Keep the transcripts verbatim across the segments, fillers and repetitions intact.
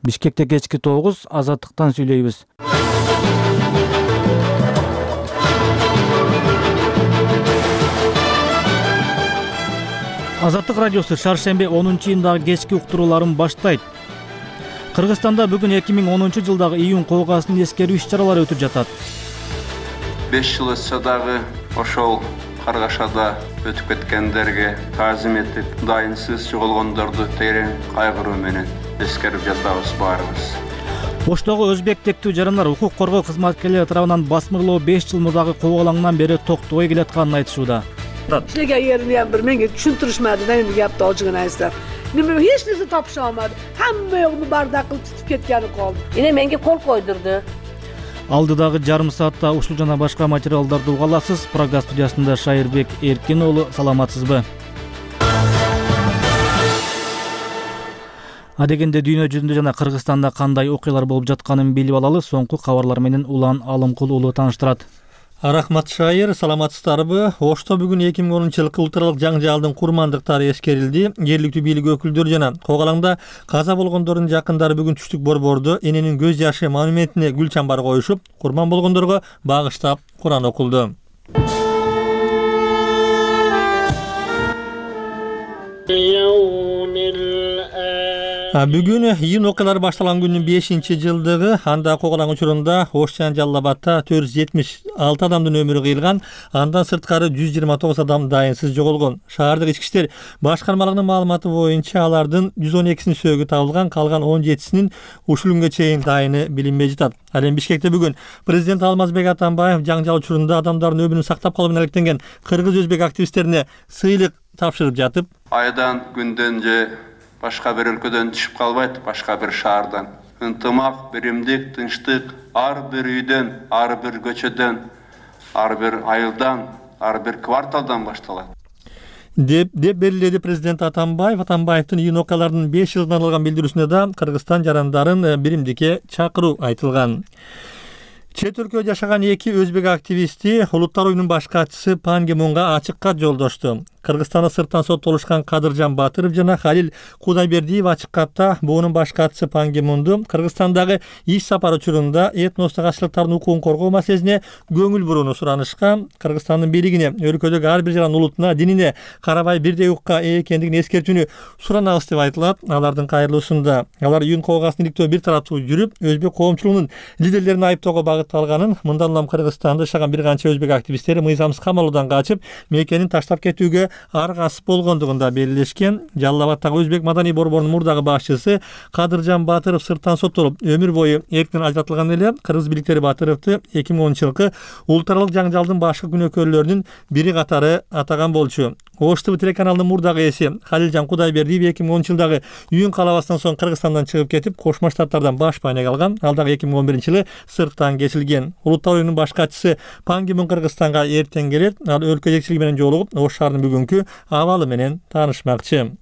Бишкекте кечки тогуз, Азаттыктан сүйлөйбүз. Азаттык радиосу шаршемби онунчу июндагы кечки уктурууларын баштайт. Кыргызстанда бүгүн эки миң онунчу жылдагы июнь коогасын эскерүү иш-чаралары өтүп жатат. беш жыл өтсө дагы ошол Каргашада өтүп кеткендерге таазим этип, дайынсыз жоголгондорду терең кайгыруу менен эскерип жатабыз баарыбыз. Оштогу өзбек тектүү жарандар укук коргоо кызматкерлери тарабынан басмырлоо беш жыл мурдагы коогалаңдан бери токтобой келатканын айтышууда. Işlega yerini hem bir menge düşüntürüşmedi ne endi yaptı olcugun aysa. Nime hiç nesi tapışamadı. Hamma yoğunu bardak kılıp tutup ketkeni kaldı. Yine menge kol koydurdu. Алдыдагы жарым саатта ушул жана башка материалдарды уга аласыз. Прага студиясында Шайырбек Эркин уулу, саламатсызбы? Адегенде дүйнө жүзүндө жана Кыргызстанда кандай окуялар болуп жатканын билип алалы. Соңку кабарлар менен Улан Алымкул уулу тааныштырат. Рахмат Шайыр, саламатсыздарбы? Ошто бүгүн эки миң онунчу жылкы улуттаралык жаңжалдын курмандыктары эскерилди. Жергиликтүү бийлик өкүлдөрү жана коогалаңда каза болгондордун жакындары бүгүн түштүк борбордо эненин көз жашы монументине гүл чамбар коюшуп, курман болгондорго багыштап Куран окулду. Бүгүн июнь окуялары башталган күндүн бешинчи жылдыгы. Анда коогалаң учурунда Ош жана Жалал Абадта төрт жүз жетимиш алты адамдын өмүрү кыйылган. Андан сырткары жүз жыйырма тогуз адам дайынсыз жоголгон. Шаардык ички иштер башкармалыгынын маалыматы боюнча алардын жүз он экисинин сөөгү табылган, калган он жетисинин ушул күнгө чейин дайыны билинбей жатат. Ал эми Бишкекте бүгүн президент Алмазбек Атамбаев жаңжал учурунда адамдардын өмүрүн сактап калуу менен алектенген кыргыз-өзбек активисттерине сыйлык тапшырып жатып, айдан күндөн же башка бир өлкөдөн түшүп калбайт, башка бир шаардан. Ынтымак, биримдик, тынчтык ар бир үйдөн, ар бир көчөдөн, ар бир айылдан, ар бир кварталдан башталат. деп деп белгиледи президент Атамбаев. Атамбаевдин июнь окуяларынын беш жылдан алган билдирүүсүндө да Кыргызстан жарандарын биримдикке чакыруу айтылган. Чет өлкөдө жашаган эки өзбек активисти Улуттар уюмунун баш катчысы Пан Ги Мунга ачык кат жолдошту. Кыргызстанда сырттан соттолушкан Кадыржан Батыров жана Халил Кудайбердиев ачык катта буунун баш катчысы Пан Ги Мунду Кыргызстандагы иш сапар учурунда этностук азчылыктардын укугун коргоо маселесине көңүл бурууну суранышкан. Кыргызстандын бийлигине өлкөдөгү ар бир жаран улутуна, динине карабай бирдей укукка ээ экендигин эскертүүнү суранабыз деп айтылат. Алардын кайрылуусунда алар июнь коогасын иликтөө бир тараптуу жүрүп, өзбек коомчулугунун лидерлерин айыптоого багытталганын, мындан улам Кыргызстанда жашаган бир канча өзбек активисттери мыйзамсыз камалуудан качып, мекенин таштап кетүүгө аргасып болгондугунда белгилешкен. Жалал Абадтагы өзбек маданий борборунун мурдагы башчысы Кадыржан Батыров сырттан соттолуп, өмүр бою эрктен ажыратылган эле. Кыргыз бийликтери Батыровду эки миң онунчу жылкы улуттаралык жаңжалдын башкы күнөөкөрлөрүнүн бири катары атаган болчу. Ош ТВ телеканалынын мурдагы ээси Халилжан Кудайбердиев эки миң онунчу жылдагы июнь калабасынан соң Кыргызстандан чыгып кетип, Кошмо Штаттардан баш байнек алган. Ал дагы эки миң он биринчи жылы сырттан кесилген. Улуттар уюмунун баш катчысы Пан Ги Мун Кыргызстанга эртең келет. Ал өлкө жетекчилиги менен жолугуп, Ош шаарынын бүгүнкү абалы менен таанышмакчы.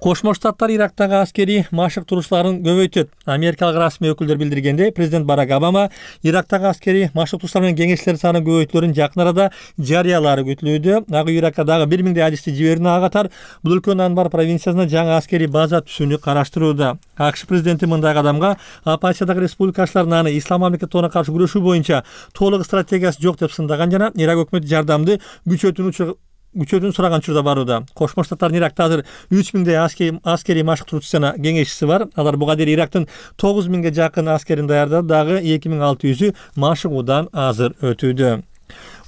Кошмо Штаттар Ирактагы аскерий машык турушууларын көбөйтөт. Америкалык расмий өкүлдөр билдиргендей, президент Барак Обама Ирактагы аскерий машык турушуулар менен кеңешчилер саны көбөйтүлөрүн жакын арада жарыялаары күтүлүүдө. Ак үй Иракка дагы бир миңдей адисти жиберүүнү ага катар бул өлкөнүн Анбар провинциясына жаңы аскерий база түзүүнү караштырууда. АКШ президенти мындай кадамга оппозициядагы республикачылардын аны ислам мамлекетине каршы күрөшүү боюнча толук стратегиясы жок деп сындаган жана Ирак өкмөтү жардамды күчөтүүнү күчөтүүнү сураган учурда барууда. Кошмо Штаттардын Иракта азыр үч миңдей аскерий машык туруучусу жана кеңешчиси бар. Алар буга дейин Ирактын тогуз миңге жакын аскерин даярдады, дагы эки миң алты жүзү машыгуудан азыр өтүүдө.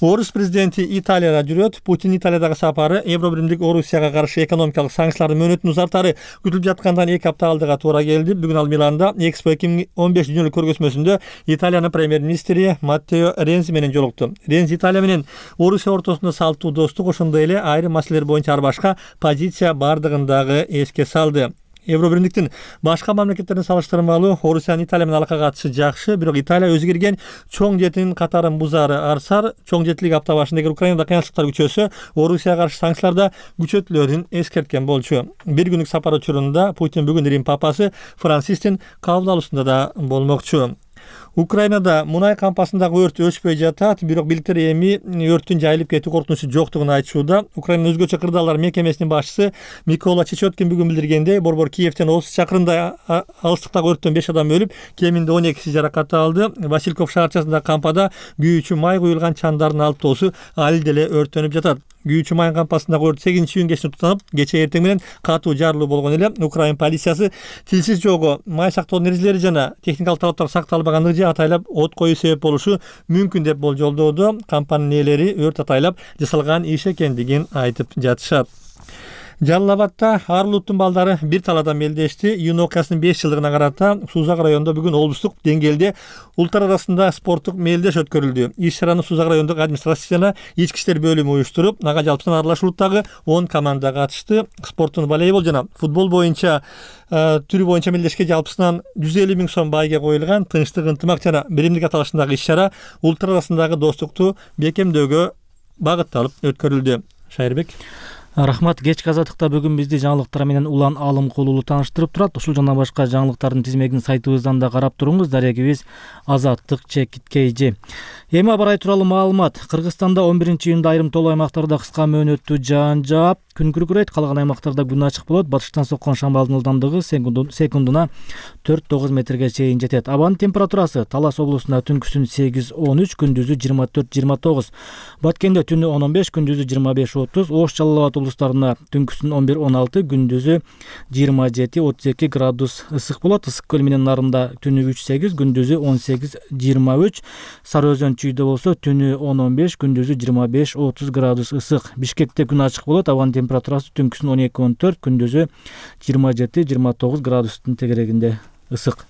Орус президенти Италияда жүрөт. Путин Италиядагы сапары Евро биримдик Орусияга каршы экономикалык санкциялардын мөөнөтүнүн узартары күтүлүп жаткандан эки апта алдыга туура келди. Бүгүн ал Миланда Экспо эки миң он беш дүйнөлүк көргөзмөсүндө Италиянын премьер-министри Маттео Рензи менен жолукту. Рензи Италия менен Орусия ортосунда салттуу достук, ошондой эле айрым маселелер боюнча ар башка позиция бардыгын дагы эске салды. Евро биримдиктин башка мамлекеттерине салыштырмалуу Орусиянын Италия менен алака катышы жакшы, бирок Италия өзгөргөн чоң жетинин катарын бузаары арсар. Чоң жетилик апта башында эгер Украинада кыянчылыктар күчөсө, Орусияга каршы санкцияларда күчөтүлөрүн эскерткен болчу. Бир күндүк сапар учурунда Путин бүгүн Рим папасы Францистин кабыл алуусунда да болмокчу. Украинада мунай кампасындагы өрт өчпөй жатат, бирок бийликтер эми өрттүн жайылып кетүү коркунучу жоктугун айтышууда. Украинанын өзгөчө кырдаалдар мекемесинин башчысы Микола Чечоткин бүгүн билдиргендей, борбор Киевден отуз чакырымдай алыстыктагы өрттөн беш адам өлүп, кеминде он экиси жаракат алды. Васильков шаарчасындагы кампада күйүүчү май куюлган чандардын алптоосу али деле өрттөнүп жатат. Күйүүчү май кампасындагы өрт сегизинчи июнь кечинде тутанып, кечээ эртең менен катуу жарылуу болгон эле. Украин полициясы тилсиз жолго май сактоонун эрежелери жана техникалык талаптар сакталбаганлыгы же атайлап от коюу себеп болушу мүмкүн деп болжолдоодо. Компаниянын ээлери өрт атайлап жасалган иш экендигин айтып жатышат. Жалал Абадта ар улуттун балдары бир талаада мелдешти. Июнь окуясынын беш жылдыгына карата Сузак районунда бүгүн облустук деңгээлде улуттар арасында спорттук мелдеш өткөрүлдү. Иш-чараны Сузак райондук администрация жана ички иштер бөлүмү уюштуруп, ага жалпысынан аралаш улуттагы он команда катышты. Спорттун волейбол жана футбол боюнча түрү боюнча мелдешке жалпысынан жүз элүү миң сом байге коюлган. Тынчтык, ынтымак жана биримдик аталышындагы иш-чара улуттар арасындагы достукту бекемдөөгө багытталып өткөрүлдү. Шайырбек. Рахмат. Кечки азаттыкта бүгүн бизди жаңылыктар менен Улан Алымкулуу таныштырып турат. Ушул жана башка жаңылыктардын тизмегин сайтыбыздан да карап туруңуз. Дарегибиз Азаттык чекит кейжи. Эми абарай тууралуу маалымат. Кыргызстанда он биринчи июнда айрым тоолуу аймактарда кыска мөөнөттүү жаан жаап, күн күркүрөйт. Калган аймактарда күн ачык болот. Батыштан соккон шамалдын ылдамдыгы секундуна төрт тогуз метрге чейин жетет. Абанын температурасы Талас облусунда түнкүсүн сегиз он үч, күндүзү жыйырма төрт жыйырма тогуз. Баткенде түнү он он беш, күндүзү жыйырма беш отуз. Ош, Жалал Абад облустарында түнкүсүн он бир он алты, күндүзү жыйырма жети отуз эки градус ысык болот. Ысык көл менен нарында түнү үч сегиз, күндүзү он сегиз жыйырма үч. Сары Өзөн Чүйдө болсо түнү он он беш, күндүзү жыйырма беш отуз градус ысык. Бишкекте күн ачык болот. Абанын температурасы түнкүсүн он эки он төрт, күндүзү жыйырма жети жыйырма тогуз градустун тегерегинде ысык.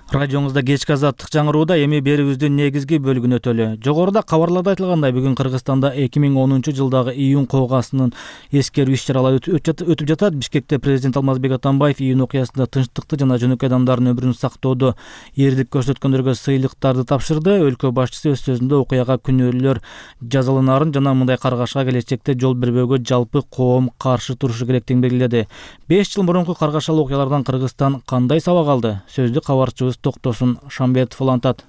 Радионузда кечки азаттык жаңырууда эми берүүбүздүн негизги бөлүгүн өтөлү. Жогоруда кабарларда айтылгандай, бүгүн Кыргызстанда эки миң онунчу жылдагы июнь коогасынын эскерүү иш-чаралары өтүп жатат. Бишкекте президент Алмазбек Атамбаев июнь окуясында тынчтыкты жана жөнөкөй адамдардын өмүрүн сактоодо эрдик көрсөткөндөргө сыйлыктарды тапшырды. Өлкө башчысы өз сөзүндө окуяга күнөөлүүлөр жазаланаарын жана мындай каргашка келечекте жол бербөөгө жалпы коом каршы турушу керектигин белгиледи. беш жыл мурунку каргашалуу окуялардан Кыргызстан кандай сабак алды? Сөздү кабарчыбыз Токтосун Шамбетов улантат.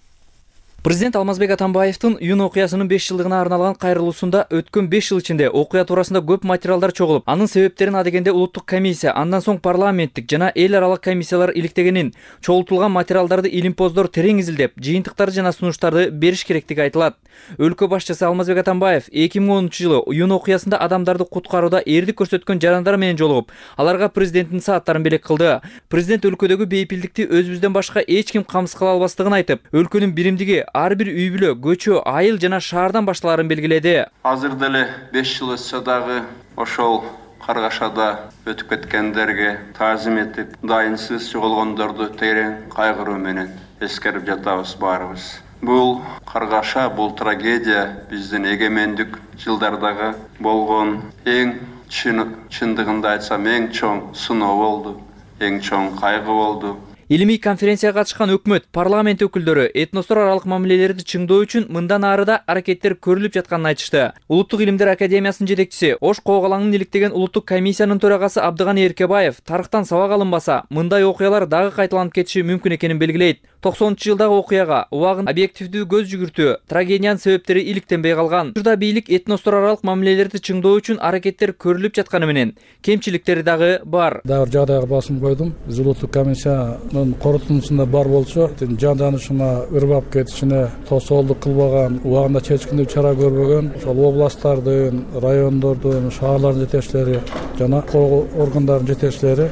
Президент Алмазбек Атамбаевдин июнь окуясынын беш жылдыгына арналган кайрылуусунда өткөн беш жыл ичинде окуя туурасында көп материалдар чогулуп, анын себептерин адегенде улуттук комиссия, андан соң парламенттик жана эл аралык комиссиялар иликтегенин, чогултулган материалдарды илимпоздор терең изилдеп, жыйынтыктарды жана сунуштарды бериш керектиги айтылат. Өлкө башчысы Алмазбек Атамбаев эки миң онунчу жылы июнь окуясында адамдарды куткарууда эрдик көрсөткөн жарандар менен жолугуп, аларга президенттин сааттарын белек кылды. Президент өлкөдөгү бейпилдикти өзүбүздөн башка эч ким камсыз кыла албастыгын айтып, өлкөнүн биримдиги ар бир үй бүлө, көчө, айыл жана шаардан башталарын белгиледи. Азыр деле беш жыл өтсө дагы ошол каргашада өтүп кеткендерге таазим этип, дайынсыз жоголгондорду терең кайгыруу менен эскерип жатабыз баарыбыз. Бул каргаша, бул трагедия биздин эгемендик жылдардагы болгон эң чындыгында айтсам эң чоң сыноо болду, эң чоң кайгы болду. Илимий конференцияга катышкан өкмөт, парламент өкүлдөрү этностор аралык мамилелерди чыңдоо үчүн мындан арыда аракеттер көрүлүп жатканын айтышты. Улуттук илимдер академиясынын жетекчиси, Ош Коогалаңын иликтеген улуттук комиссиянын төрагасы Абдыганы Эркебаев тарыхтан сабак алынбаса, мындай окуялар дагы кайталанып кетиши мүмкүн экенин белгилейт. токсонунчу жылдагы окуяга убагын объективдүү көз жүгүртүү, трагедиянын себептери иликтенбей калган. Учурда бийлик этностор аралык мамилелерди чыңдоо үчүн аракеттер көрүлүп жатканы менен кемчиликтери дагы бар. Дагы жагдайга басым койдум. Биз улуттук комиссиянын корутундусунда бар болчу, жанданышына, ырбап кетишине тосоолдук кылбаган, убагында чечкиндүү чара көрбөгөн, ошол областтардын, райондордун, шаарлардын жетекчилери жана кол органдардын жетекчилери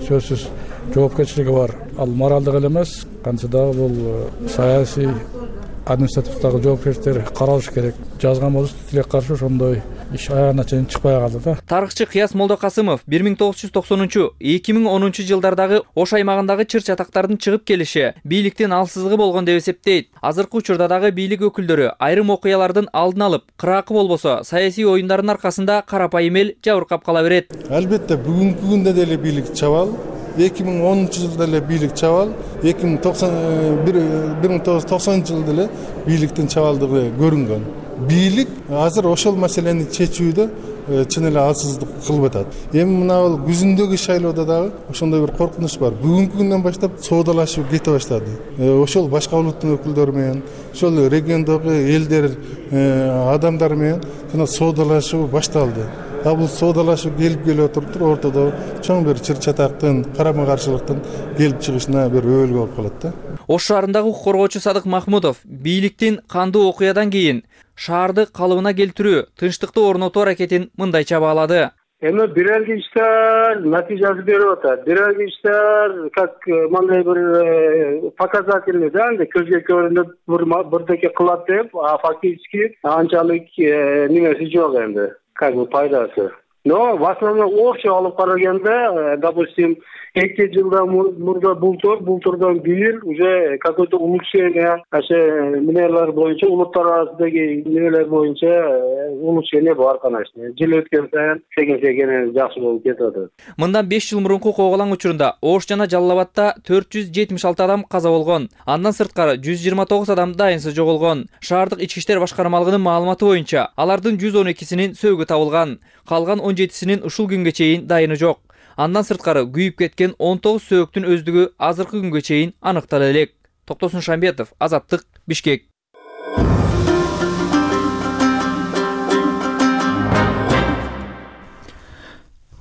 сөзсүз жоопкерчилиги бар. Ал моралдык эле эмес, кантсе дагы бул саясий, административдагы жоопкерчиликтер каралыш керек. Жазган болсо тилек каршы ошондой иш аягына чейин чыкпай калды да. Тарыхчы Кыяс Молдокасымов бир миң тогуз жүз токсонунчу эки миң онунчу жылдардагы Ош аймагындагы чыр-чатактардын чыгып келиши бийликтин алсыздыгы болгон деп эсептейт. Азыркы учурда дагы бийлик өкүлдөрү айрым окуялардын алдын алып, кыраакы болбосо саясий оюндардын аркасында карапайым эл жабыркап кала берет. Албетте бүгүнкү күндө деле бийлик чабал, эки миң онунчу жылда эле бийлик чабал, эки миң тогуз жүз токсонунчу жылда эле бийликтин чабалдыгы көрүнгөн. Бийлик азыр ошол маселени чечүүдө чын эле алсыздык кылып атат. Эми мына бул күзүндөгү шайлоодо дагы ошондой бир коркунуч бар. Бүгүнкү күндөн баштап соодалашуу кете баштады. Ошол башка улуттун өкүлдөрү менен, ошол региондогу элдер адамдар менен жана соодалашуу башталды. А бул соодалашуу келип келип отуруптур, ортодо чоң бир чыр-чатактын, карама-каршылыктын келип чыгышына бир өбөлгө болуп калат да. Ош шаарындагы укук коргоочу Садык Махмудов бийликтин кандуу окуядан кийин шаарды калыбына келтирүү, тынчтыкты орнотуу аракетин мындайча баалады. Эми бирелги иштер натыйжасы берип атат. Бирелги иштер как мындай бир показательный да, көзгө көрүнүп бирдеке кылат деп, а фактически анчалык немеси жок энди. Как бы пайдасы. Но в основном общий алып караганда, допустим, эки жылдан мурда бултур, бултурдан бир уже какое-то улучшение, аша немелер боюнча, улуттар арасындагы немелер боюнча улучшение бар, конечно. Жыл өткөн сайын секен-секен жакшы болуп кетип атат. Мындан беш жыл мурунку коголаң учурунда Ош жана Жалал Абадта төрт жүз жетимиш алты адам каза болгон. Андан сырткары жүз жыйырма тогуз адам дайынсыз жоголгон. Шаардык ички иштер башкармалыгынын маалыматы боюнча, алардын жүз он экисинин сөөгү табылган. Калган он жетисинин ушул күнгө чейин дайыны жок. Андан сырткары күйүп кеткен он тогуз сөөктүн өздүгү азыркы күнгө чейин аныктала элек. Токтосун Шамбетов, Азаттык, Бишкек.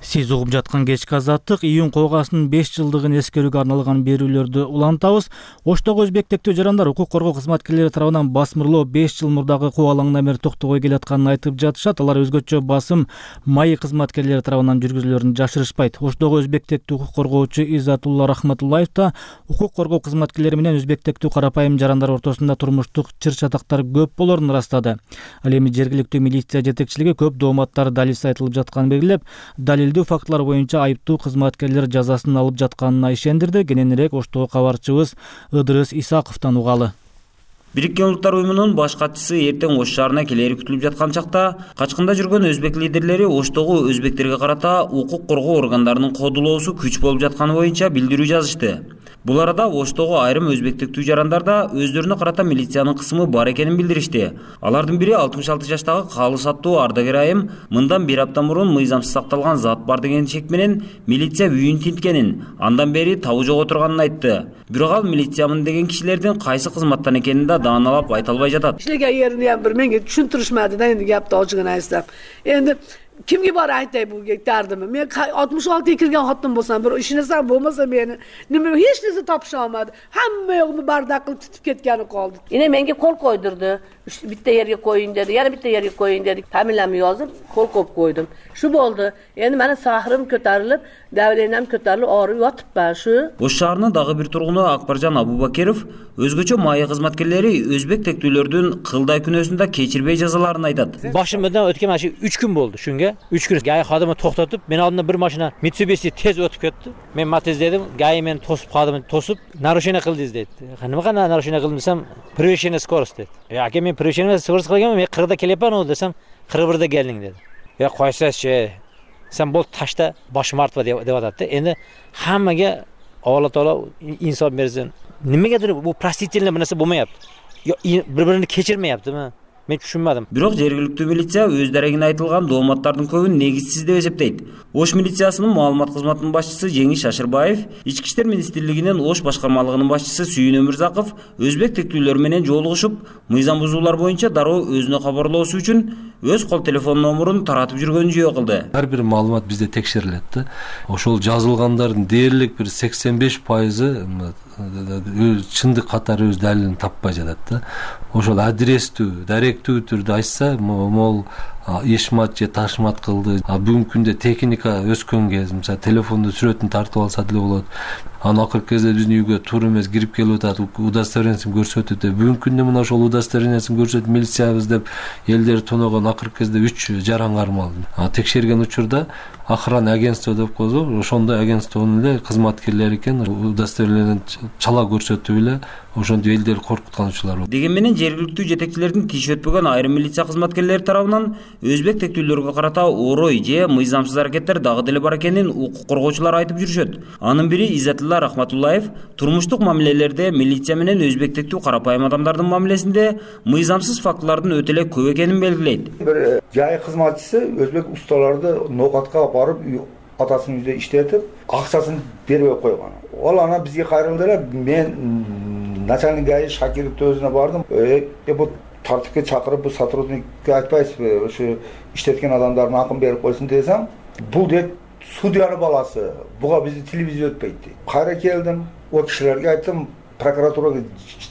Сиз угуп жаткан кечки Азаттык июнь койгасынын беш жылдыгын эскерүүгө арналган берүүлөрдү улантабыз. Оштогу өзбек тектүү жарандар укук коргоо кызматкерлери тарабынан басмырлоо беш жыл мурдагы кубалаңдан бери токтобой келатканын айтып жатышат. Алар өзгөчө басым майы кызматкерлери тарабынан жүргүзүлөрүн жашырышпайт. Оштогу өзбек тектүү укук коргоочу Иззатулла Рахматуллаев да укук коргоо кызматкерлери менен өзбек тектүү карапайым жарандар ортосунда турмуштук чыр-чатактар көп болорун ырастады. Ал эми жергиликтүү милиция жетекчилиги көп дооматтар далилсиз айтылып жатканын белгилеп, далил фактлар боюнча айыптуу кызматкерлер жазасын алып жатканына ишендирди. Кененирээк Оштогу кабарчыбыз Ыдырыс Исаковдон угалы. Бириккен Улуттар уюмунун баш катчысы эртең Ош шаарына келери күтүлүп жаткан чакта качкында жүргөн өзбек лидерлери Оштогу өзбектерге карата укук коргоо органдарынын кодулоосу күч болуп жатканы боюнча билдирүү жазышты. Бул арада Оштогу айрым өзбек тектүү жарандар да өздөрүнө карата милициянын кысымы бар экенин билдиришти. Алардын бири алтымыш алты жаштагы калыс аттуу ардагер айым мындан бир апта мурун мыйзамсыз сакталган зат бар деген шек менен милиция үйүн тинткенин, андан бери табы жок отурганын айтты. Бирок ал милициямын деген кишилердин кайсы кызматтан экенин да дааналап айта албай жатат. Иштеген жерини ham bir menga tushuntirishmadi da endi gapni ochig'ini aytsam. Endi kimga bor aytay bu dardimni? Men oltmish oltiga kirgan xotin bo'lsam, bir ishinasam bo'lmasa meni nima hech narsa topisha olmadi. Hamma yo'qni bardaq qilib tutib ketgani qoldi. Yine menga qo'l qo'ydirdi. Bitta yerga qo'ying dedi, yana bitta yerga qo'ying dedi. Familiyamni yozib, qo'l qo'yib qo'ydim. Shu bo'ldi. Endi meni sahrim ko'tarilib, davlenam ko'tarilib, og'rib yotibman shu. Ош шаарынын дагы бир тургуну Акбаржан Абубакиров өзгөчө майы кызматкерлери өзбек тектүүлөрдүн кылдай күнөөсүн да кечирбей жазаларын айтат. Башымдан өткөн машина үч күн болду шунга. үч күн гай кадымы токтотуп, мен алдымда бир машина Mitsubishi тез өтүп кетти. Мен Matiz дедим, гай мени тосуп кадым, тосуп, нарушение кылды дейт. Кандай гана нарушение кылдым десем, превышение скорость дейт. Аке мен превышение скорость кылгам, мен кыркта келепмин ол десем, кырк бирде келдиң деди. Я койсачы, сен бол ташта башым артып деп атат да. Энди хаммага Алла Таала инсон берсин. Немегедир бу простительный нерсе болмайапты. Бири-биrini кечирмейаптымы? Мен түшүнмөдүм. Бирок жергиликтүү милиция өз дарегине айтылган дооматтардын көбүн негизсиз деп эсептейт. Ош милициясынын маалымат кызматынын башчысы Жеңиш Шашырбаев, Ички иштер министрлигинин Ош башкармалыгынын башчысы Сүйүн Өмүрзаков өзбек тектүүлөр менен жолугушуп, мыйзам бузуулар боюнча дароо өзүнө кабарлоосу үчүн өз кол телефон номурун таратып жүргөнүн жөө кылды. Ар бир маалымат бизде текшерилет да. Ошол жазылгандардын дээрлик бир сексен беш пайызы чындык катары өз далилин таппай жатат да. Ошол адрестүү, даректүү түрдө айтса, могул эшмат же ташмат кылды. А бүгүнкү күндө техника өскөн кез, мисалы телефондо сүрөтүн тартып алса деле болот. Анан акыркы кезде биздин үйгө туура эмес кирип келип атат, удостоверениесин көрсөтөт. Бүгүнкү күндө мына ошол удостоверениесин көрсөтүп милициябыз деп элдер тоногон акыркы кезде үч жаран кармалды. А текшерген учурда охрана агентство деп коебуз, ошондой агентствонун эле кызматкерлери экен, удостоверениесин чала көрсөтүп эле ошондой элдерди коркуткан учурлар бар. Дегенменен жергиликтүү жетекчилердин тиш өтпөгөн айрым милиция кызматкерлери тарабынан өзбек тектүүлөргө карата орой же мыйзамсыз аракеттер дагы деле бар экенин укук коргоочулар айтып жүрүшөт. Анын бири Иззатилла Рахматуллаев турмуштук мамилелерде милиция менен өзбек тектүү карапайым адамдардын мамилесинде мыйзамсыз фактылардын өтө эле көп экенин белгилейт. Бир жай кызматчысы өзбек усталарды ноокатка барып атасынын үйдө иштетип, акчасын бербей койгон. Ол ана бизге кайрылды эле, мен начальник ГАИ Шакировдун өзүнө бардым. Э бу тартипке чакырып, бу сотрудникке айтпайсызбы, ошо иштеткен адамдардын акын берип койсун десем, бул деп судьянын баласы, буга бизди телевизия өтпөйт. Кайра келдим, о кишилерге айттым, прокуратурага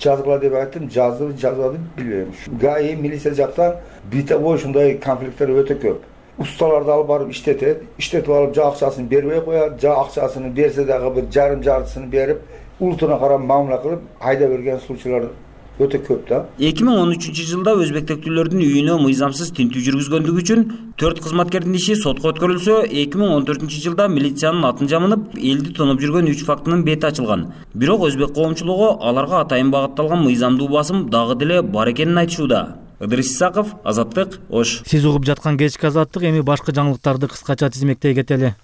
жазгыла деп айттым, жазды, жазбады билбейм. ГАИ милиция жактан битабой ушундай конфликттер өтө көп. Ustalarda alıp barıp işletет, işletip alıp ja акчасын бербей коят, ja акчасын берсе дагы бир жарым жартысын берип, улутуна карап мамиле кылып айда берген случайлар өтө көп да. эки миң он үчүнчү жылда өзбек тектүүлөрдүн үйүнө мыйзамсыз тинтүү жүргүзгөндүгү үчүн төрт кызматкердин иши сотко өткөрүлсө, эки миң он төртүнчү жылда милициянын атын жамынып, элди тонуп жүргөн үч фактынын бети ачылган. Бирок өзбек коомчулугу аларга атайын багытталган мыйзамдуу басым дагы деле бар экенин айтышууда. Ыдырыс Исаков, Азаттык, Ош. Сиз угуп жаткан кечки Азаттык, эми башка жаңылыктарды кыскача тизмектей кетели.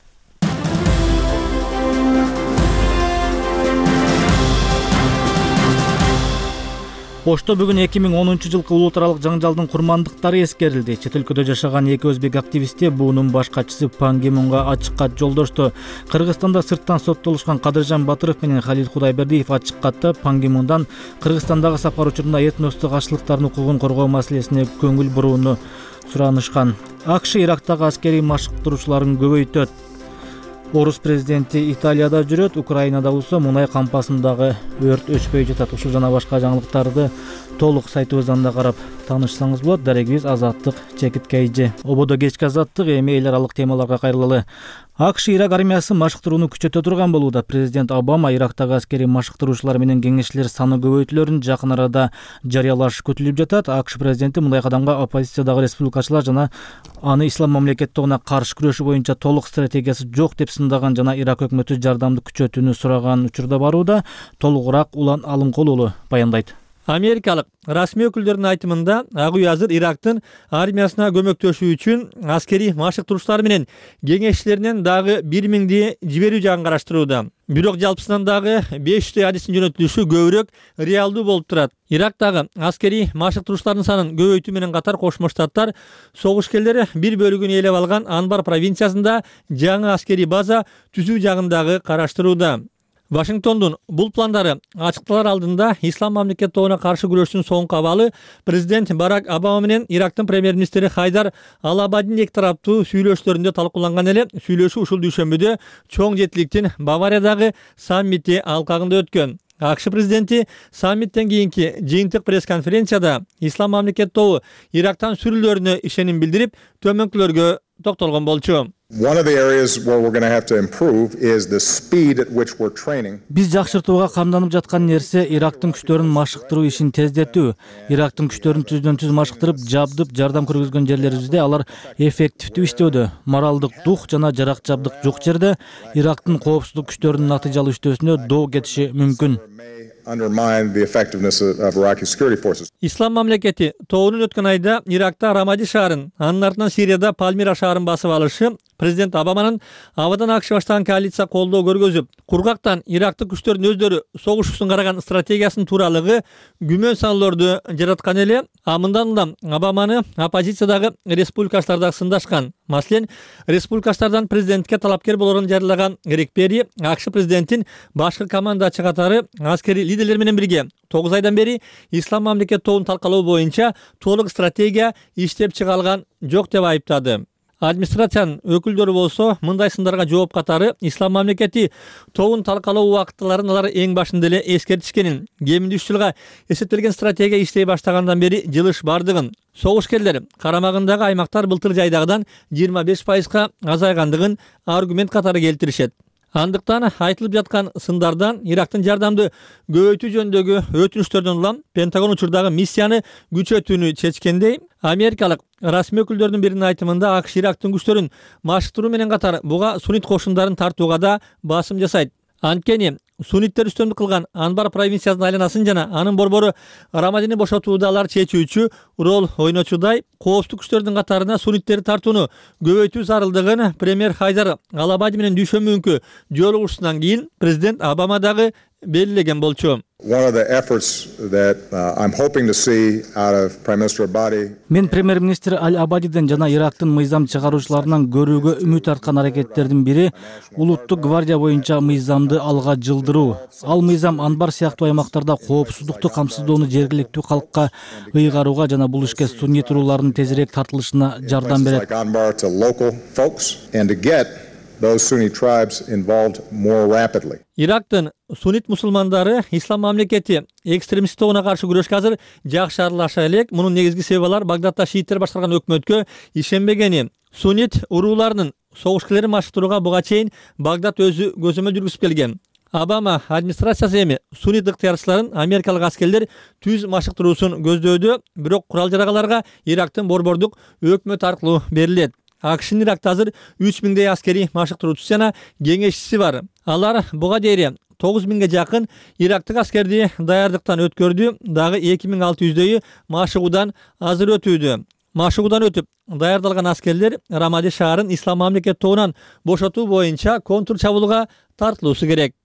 Ошто бүгүн эки миң онунчу жылкы улут аралык жаңжалдын курмандыктары эскерилди. Чет өлкөдө жашаган эки өзбек активисти буунун баш катчысы Пан Ги Мунга ачык кат жолдошту. Кыргызстанда сырттан соттолушкан Кадыржан Батыров менен Халил Кудайбердиев ачык катта Пан Ги Мундан Кыргызстандагы сапар учурунда этностук каршылыктардын укугун коргоо маселесине көңүл бурууну суранышкан. АКШ Ирактагы аскерий машыктыруучуларын көбөйтөт. Орус президенти Италияда жүрөт, Украинада болсо мунай кампасындагы өрт өчпөй жатат. Ушул жана башка жаңылыктарды толук сайтыбыздан да карап таанышсаңыз болот. Дарегибиз Азаттык Чекит Кейжи. Ободо кечки Азаттык, эми эл аралык темаларга кайрылалы. АКШ Ирак армиясы машыктырууну күчөтө турган болууда. Президент Обама Ирактагы аскерий машыктыруучулар менен кеңешчилер саны көбөйтүлөрүн жакын арада жарыялашы күтүлүп жатат. АКШ президенти мындай кадамга оппозициядагы республикачылар жана аны ислам мамлекеттигине каршы күрөшүү боюнча толук стратегиясы жок деп сындаган жана Ирак өкмөтү жардамды күчөтүүнү сураган учурда барууда. Толугураак Улан Алымкулулу баяндайт. Америкалык расмий өкүлдөрдүн айтымында Ак үй азыр Ирактын армиясына көмөктөшүү үчүн аскерий машыктыруучулар менен кеңешчилеринен дагы бир миңди жиберүү жагын караштырууда. Бирок жалпысынан дагы беш жүздөй адистин жөнөтүлүшү көбүрөөк реалдуу болуп турат. Ирактагы аскерий машыктыруучулардын санын көбөйтүү менен катар Кошмо Штаттар согушкерлери бир бөлүгүн ээлеп алган Анбар провинциясында жаңы аскерий база түзүү жагын дагы караштырууда. Вашингтондун бул пландары ачыкталар алдында ислам мамлекет тобуна каршы күрөштүн соңку абалы президент Барак Обама менен Ирактын премьер-министри Хайдар Ал-Абадин эки тараптуу сүйлөшүүлөрүндө талкууланган эле. Сүйлөшүү ушул дүйшөмбүдө чоң жетиликтин Бавариядагы саммити алкагында өткөн. АКШ президенти саммиттен кийинки жыйынтык пресс-конференцияда ислам мамлекет тобу Ирактан сүрүлөрүнө ишеним билдирип, төмөнкүлөргө токтолгон болчу. Биз жакшыртууга камданып жаткан нерсе Ирактын күчтөрүн машыктыруу ишин тездетүү. Ирактын күчтөрүн түздөн түз машыктырып, жабдып, жардам көргөзгөн жерлерибизде алар эффективдүү иштөөдө. Моралдык дух жана жарак жабдык жок жерде Ирактын коопсуздук күчтөрүнүн натыйжалуу иштөөсүнө доо кетиши мүмкүн. Ислам мамлекети тобунун өткөн айда Иракта Рамади шаарын, анын артынан Сирияда Пальмира шаарын басып алышы президент Обаманын абадан АКШ баштаган коалиция колдоо көргөзүп, кургактан Ирактык күчтөрдүн өздөрү согушуусун караган стратегиясынын тууралыгы күмөн саноолорду жараткан эле. А мындан улам Обаманы оппозициядагы республикачылар дагы сындашкан. Маселен, республикачылардан президентке талапкер болорун жарыяган Рик Перри АКШ президентин башкы командачы катары аскерий лидерлер менен бирге тогуз айдан бери ислам мамлекет тобун талкалоо боюнча толук стратегия иштеп чыга алган жок деп айыптады. Администрациянын өкүлдөрү болсо мындай сындарга жооп катары ислам мамлекети тобун талкалоо убактыларын алар эң башында эле эскертишкенин, кеминде үч жылга эсептелген стратегия иштей баштагандан бери жылыш бардыгын, согушкерлер карамагындагы аймактар былтыр жайдагыдан жыйырма беш пайызга азайгандыгын аргумент катары келтиришет. Андыктан айтылып жаткан сындардан Ирактын жардамды көбөйтүү жөнүндөгү өтүнүштөрдөн улам Пентагон учурдагы миссияны күчөтүүнү чечкендей, америкалык расмий өкүлдөрдүн биринин айтымында АКШ Ирактын күчтөрүн машыктыруу менен катар буга суннит кошундарын тартууга да басым жасайт. Анткени сунниттер үстөмдүк кылган Анбар провинциясынын айланасын жана анын борбору Рамадини бошотууда алар чечүүчү роль ойночудай коопсуздук күчтөрүнүн катарына сунниттерди тартууну көбөйтүү зарылдыгын премьер Хайдар Ал-Абади менен дүйшөмбү жолугушуусунан кийин президент Обама дагы белгилеген болчу. One of the efforts that uh, I'm hoping to see out of Prime Minister Abadi. Мен премьер-министр Аль-Абадиден жана Ирактын мыйзам чыгаруучуларынан көрүүгө үмүт арткан аракеттердин бири улуттук гвардия боюнча мыйзамды алга жылдыруу. Ал мыйзам Анбар сыяктуу аймактарда коопсуздукту камсыздоону жергиликтүү калкка ыйгарууга жана бул ишке суннит уруулардын тезирээк тартылышына жардам берет. Those Sunni tribes involved more rapidly. Ирактын суннит мусулмандары ислам мамлекети экстремист тобуна каршы күрөшкө азыр жакшы аралаша элек. Мунун негизги себеби алар Багдадта шииттер башкарган өкмөткө ишенбегени. Суннит урууларынын согуш-килерин машыктырууга буга чейин Багдад өзү көзөмөл жүргүзүп келген. Обама администрациясы эми суннит ыктыярчыларын америкалык аскерлер түз машыктыруусун көздөдү, бирок курал-жарагаларга Ирактын борбордук өкмөт аркылуу берилет. АКШнын Иракта азыр үч миңдей аскери машыктыруучусу жана кеңешчиси бар. Алар буга дейин тогуз миңге жакын ирактык аскерди даярдыктан өткөрдү, дагы эки миң алты жүздөйү машыгуудан азыр өтүүдө. Машыгуудан өтүп даярдалган аскерлер Рамади шаарын ислам мамлекет тобунан бошотуу боюнча контр чабуулга тартылуусу керек.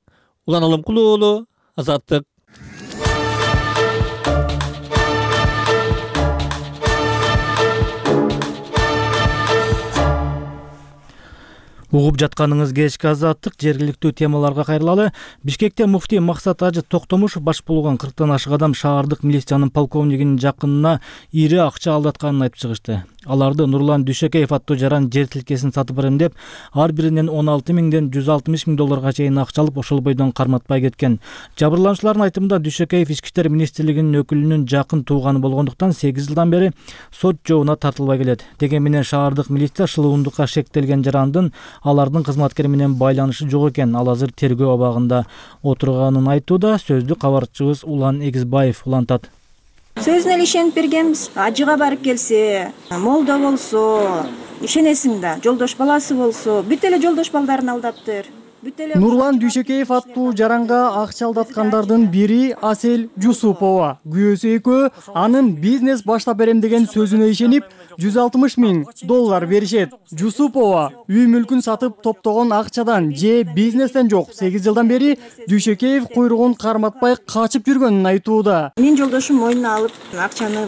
Улан Алымкулуу уулу, Азаттык. Угуп жатканыңыз кечки Азаттык, жергиликтүү темаларга кайрылалы. Бишкекте муфтий Максат Ажы Токтомушов баш болгон кырктан ашык адам шаардык милициянын полковнигинин жакынына ири акча алдатканын айтып чыгышты. Аларды Нурлан Дүйшөкеев аттуу жаран жер тилкесин сатып берем деп, ар биринен он алты миңден жүз алтымыш миң долларга чейин акча алып, ошол бойдон карматпай кеткен. Жабырлануучулардын айтымында Дүйшөкеев Ички иштер министрлигинин өкүлүнүн жакын тууганы болгондуктан сегиз жылдан бери сот жообуна тартылбай келет. Деген менен шаардык милиция шылуундукка шектелген жарандын алардын кызматкери менен байланышы жок экен. Ал азыр тергөө абагында отурганын айтууда. Сөздү кабарчыбыз Улан Эгизбаев улантат. Сөзүнө эле ишенип бергенбиз. Ажыга барып келсе, молдо болсо, ишенесиң да, жолдош баласы болсо, бүт эле жолдош балдарын алдаптыр. Нурлан Дүйшөкеев аттуу жаранга акча алдаткандардын бири Асель Жусупова. Күйөөсү экөө анын бизнес баштап берем деген сөзүнө ишенип, жүз алтымыш миң доллар беришет. Жусупова үй мүлкүн сатып топтогон акчадан же бизнестен жок сегиз жылдан бери Дүйшөкеев куйругун карматпай качып жүргөнүн айтууда. Мен жолдошум мойнуна алып, акчаны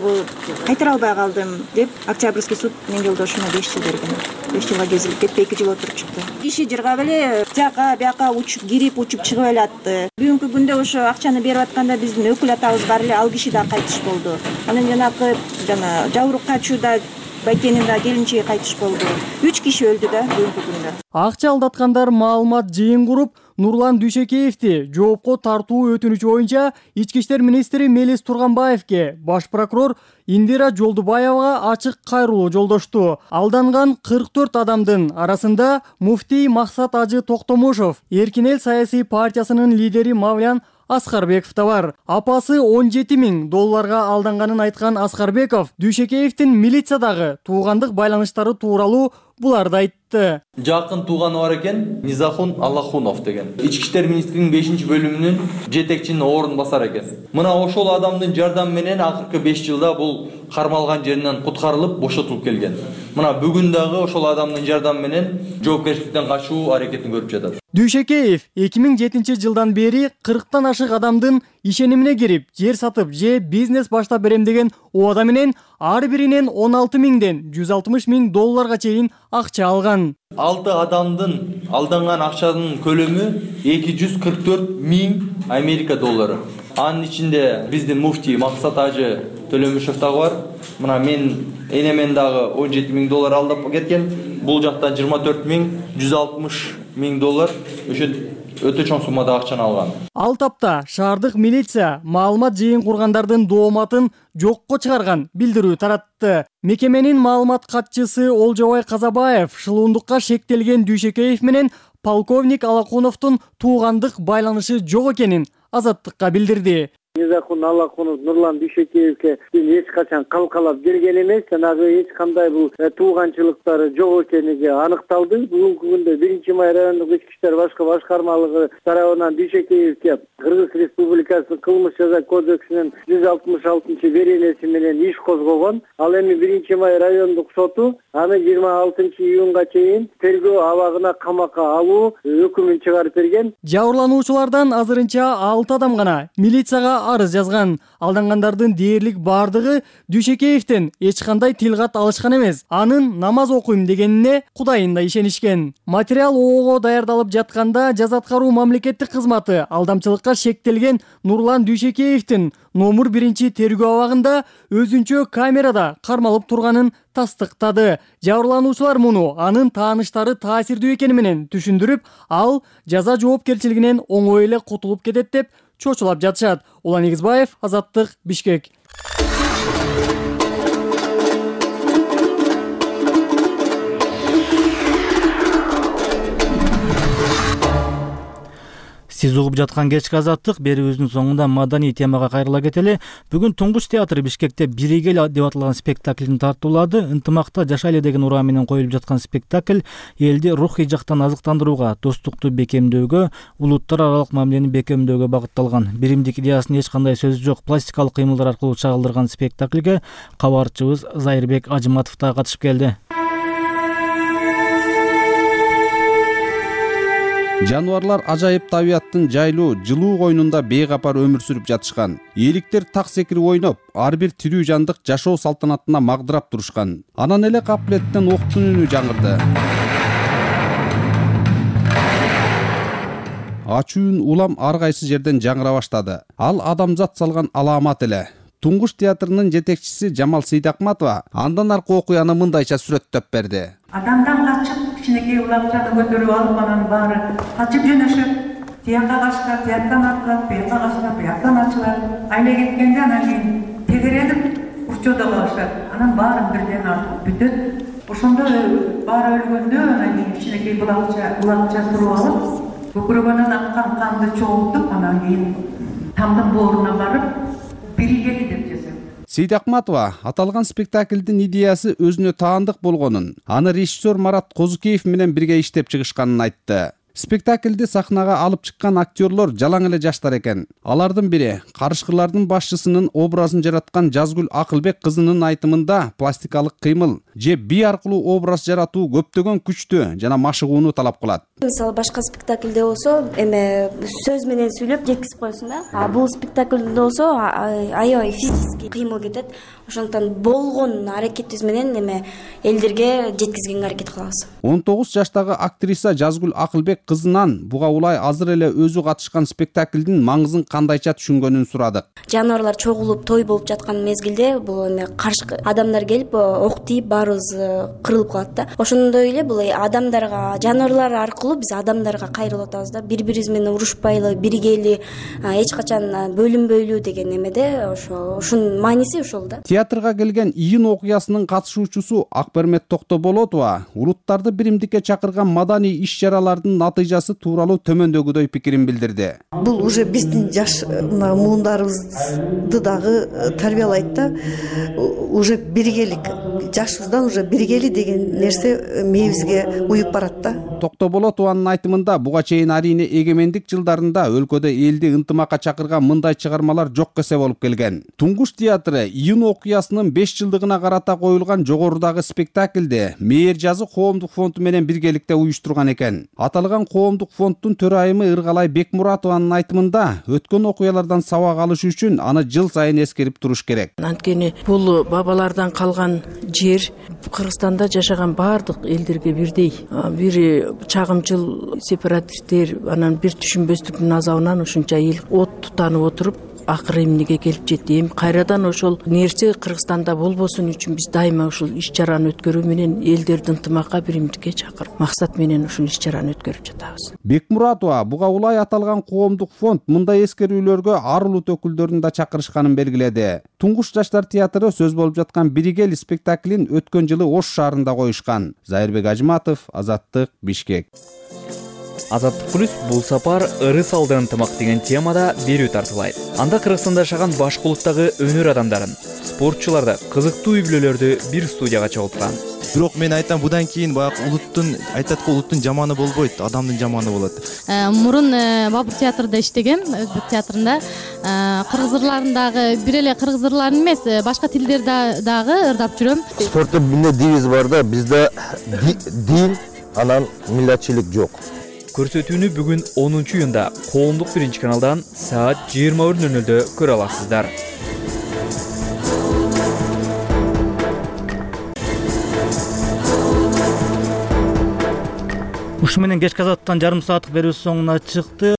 кайтара албай калдым деп, Октябрьский суд мен жолдошума беш жыл берген. беш жылга кезилип кетти, эки жыл отуруп чыкты. Иши жыргап эле жака бияка учуп кирип учуп чыгып эле атты. Бүгүнкү күндө ошо акчаны берип атканда биздин өкүл атабыз бар эле, ал киши да кайтыш болду. Анан жанакы жана жабырып качууда байкенин да келинчеги кайтыш болду. үч киши өлдү да бүгүнкү күндө. Акча алдаткандар маалымат жыйын куруп, Нурлан Дүйшөкеевди жоопко тартуу өтүнүчү боюнча Ички иштер министри Мелис Турганбаевке баш прокурор Индира Жолдубаевага ачык кайрылуу жолдошту. Алданган кырк төрт адамдын арасында муфтий Максат Ажы Токтомушов, Эркин эл саясий партиясынын лидери Мавлян Аскарбеков да бар. Апасы он жети миң долларга алданганын айткан Аскарбеков Дүйшөкеевдин милициядагы туугандык байланыштары тууралуу буларды айтты. Жакын тууганы бар экен, Низахун Аллахунов деген. Ички иштер министринин бешинчи бөлүмүнүн жетекчинин орун басар экен. Мына ошол адамдын жардамы менен акыркы беш жылда бул кармалган жеринен куткарылып, бошотулуп келген. Мына бүгүн дагы ошол адамдын жардамы менен жоопкерчиликтен качуу аракетин көрүп жатат. Дүйшөкеев эки миң жетинчи жылдан бери кырктан ашык адамдын ишенимине кирип, жер сатып же бизнес баштап берем деген убада менен ар биринен он алты миңден жүз алтымыш миң долларга чейин акча алган. алты адамдын алданган акчанын көлөмү эки жүз кырк төрт миң Америка доллары. Анын ичинде биздин муфтий Максат Ажы Төлөмүшев дагы бар. Мына мен энемен дагы он жети миң доллар алдап кеткен. Бул жактан жыйырма төрт миң жүз алтымыш миң доллар ошо өтө чоң суммада акчаны алган. Ал тапта шаардык милиция маалымат жыйын кургандардын дооматын жокко чыгарган билдирүү таратты. Мекеменин маалымат катчысы Олжобай Казабаев шылуундукка шектелген Дүйшөкеев менен полковник Алакуновдун туугандык байланышы жок экенин Азаттыкка билдирди. Мирзахун Аллахунов Нурлан Дүйшекеевке эч качан калкалап келген эмес, жанагы эч кандай бул тууганчылыктары жок экенлиги аныкталды. Бүгүнкү күндө биринчи май райондук ички иштер башкы башкармалыгы тарабынан Дүйшекеевке Кыргыз Республикасынын кылмыш жаза кодексинин жүз алтымыш алтынчы беренеси менен иш козгогон. Ал эми биринчи май райондук соту аны жыйырма алтынчы июнга чейин тергөө абагына камакка алуу өкүмүн чыгарып берген. Жабырлануучулардан азырынча алты адам гана милицияга арыз жазган. Алдангандардын дээрлик бардыгы Дүйшекеевден эч кандай тил кат алышкан эмес. Анын намаз окуйм дегенине Кудайында ишенишкен. Материал ого даярдалып жатканда жаза аткаруу мамлекеттик кызматы алдамчылыкка шектелген Нурлан Дүйшекеевдин номер биринчи тергөө абагында өзүнчө камерада кармалып турганын тастыктады. Жабырлануучулар муну анын тааныштары таасирдүү экени менен түшүндүрүп, ал жаза жоопкерчилигинен оңой эле кутулуп кетет деп чочулап жатышат. Улан Эгизбаев, Азаттык, Бишкек. Сиз угуп жаткан кечки Азаттык берүүбүздүн соңунда маданий темага кайрыла кетели. Бүгүн Туңгуч театры Бишкекте «Биригел» деп аталган спектаклин тартуулады. Ынтымакта жашайлы деген ураа менен коюлуп жаткан спектакль элди рухий жактан азыктандырууга, достукту бекемдөөгө, улуттар аралык мамилени бекемдөөгө багытталган. Биримдик идеясынын эч кандай сөзү жок пластикалык кыймылдар аркылуу чагылдырган спектакльге кабарчыбыз Зайырбек Ажыматов да катышып келди. Жануарлар ажайып табияттын жайлуу, жылуу койнунда бейкапар өмүр сүрүп жатышкан. Эликтер так секирип ойноп, ар бир тирүү жандык жашоо салтанатына магдырап турушкан. Анан эле капылеттен октун үнү жаңырды. Ачуу үн улам ар кайсы жерден жаңыра баштады. Ал адамзат салган аламат эле. Туңгуч театрынын жетекчиси Жамал Сейдакматова андан аркы окуяны мындайча сүрөттөп берди. Адамдан качып, кичинекей улакчаны көтөрүп алып, анан баары качып жөнөшөт. Тияка качкан, тияктан ачылат, бияка качкан, бияктан ачылат. Айла кеткенде анан кийин тегерелип, урчоодо калышат. Анан баарын бирден артып бүтөт. Ошондо баары өлгөндө анан кийин кичинекей улакча, улакча туруп алып, көкүрөгүнөн аккан канды чогултуп, анан кийин тамдын бооруна барып, Биригели деп жазат. Сейдакматова аталган спектаклдин идеясы өзүнө таандык болгонун, аны режиссер Марат Козукеев менен бирге иштеп чыгышканын айтты. Спектаклди сахнага алып чыккан актерлор жалаң эле жаштар экен. Алардын бири карышкырлардын башчысынын образын жараткан Жазгүл Акылбек кызынын айтымында пластикалык кыймыл же бий аркылуу образ жаратуу көптөгөн күчтү жана машыгууну талап кылат. Мисалы башка спектаклде болсо эме сөз менен сүйлөп жеткизип коесуң да. А бул спектаклде болсо аябай физический кыймыл кетет. Ошондуктан болгон аракетибиз менен эме элдерге жеткизгенге аракет кылабыз. он тогуз жаштагы актриса Жазгүл Акылбек кызынан буга улай азыр эле өзү катышкан спектаклдин маңызын кандайча түшүнгөнүн сурадык. Жаныбарлар чогулуп той болуп жаткан мезгилде бул эме каршы адамдар келип ок тийип баарыбыз кырылып калат да. Ошондой эле бул адамдарга, жаныбарлар аркылуу биз адамдарга кайрылып атабыз да. Бири-бирибиз менен урушпайлы, биригели, эч качан бөлүнбөйлү деген эмеде ошо ушунун мааниси ошол да. Театрга келген июнь окуясынын катышуучусу Акбермет Токтоболотова улуттарды биримдикке чакырган маданий иш-чаралардын натыйжасы тууралуу төмөндөгүдөй пикирин билдирди. Бул уже биздин жаш муундарыбызды дагы тарбиялайт да. Уже биригелик, жашыбыздан уже биригели деген нерсе мээбизге уюп барат да. Токтоболотованын айтымында буга чейин арийне эгемендик жылдарында өлкөдө элди ынтымакка чакырган мындай чыгармалар жок эсе болуп келген. Туңгуч театры июнь окуясынын беш жылдыгына карата коюлган жогорудагы спектаклде Мээр жазы коомдук фонду менен биргеликте уюштурган экен. Аталган коомдук фонддун төрайымы Ыргалай Бекмуратованын айтымында өткөн окуялардан сабак алыш үчүн аны жыл сайын эскерип туруш керек. Анткени бул бабалардан калган жер Кыргызстанда жашаган бардык элдерге бирдей. Бири чагымчыл сепаратисттер анан бир түшүнбөстүктүн азабынан ушунча эл от тутанып отуруп акыры эмнеге келип жетти. Эми кайрадан ошол нерсе Кыргызстанда болбосун үчүн биз дайыма ушул иш-чараны өткөрүү менен элдерди ынтымакка, биримдикке чакырып, максат менен ушул иш-чараны өткөрүп жатабыз. Бекмуратова буга улай аталган коомдук фонд мындай эскерүүлөргө ар улут өкүлдөрүн да чакырышканын белгиледи. Туңгуч жаштар театры сөз болуп жаткан Биригел спектаклин өткөн жылы Ош шаарында коюшкан. Зайырбек Ажыматов, Азаттык, Бишкек. Азаттык плюс бул сапар ыры салды ынтымак деген темада берүү тартуулайт. Анда Кыргызстанда жашаган башка улуттагы өнөр адамдарын, спортчуларды, кызыктуу үй-бүлөлөрдү бир студияга чогулткан. Бирок мен айтам, будан кийин баягы улуттун айтат го, улуттун жаманы болбойт, адамдын жаманы болот. Мурун Бабур театрында иштегем, өзбек театрында. Кыргыз ырларындагы бир эле кыргыз ырларын эмес, башка тилдерди дагы ырдап жүрөм. Спортто эмне девиз бар да, бизде дин, анан милләтчилик жок. Көрсөтүүнү бүгүн онунчу июнда коомдук биринчи каналдан саат жыйырма бир нөл нөлдө көрө аласыздар. Ушу менен кечки азаттан жарым сааттык берүүбүз соңуна чыкты.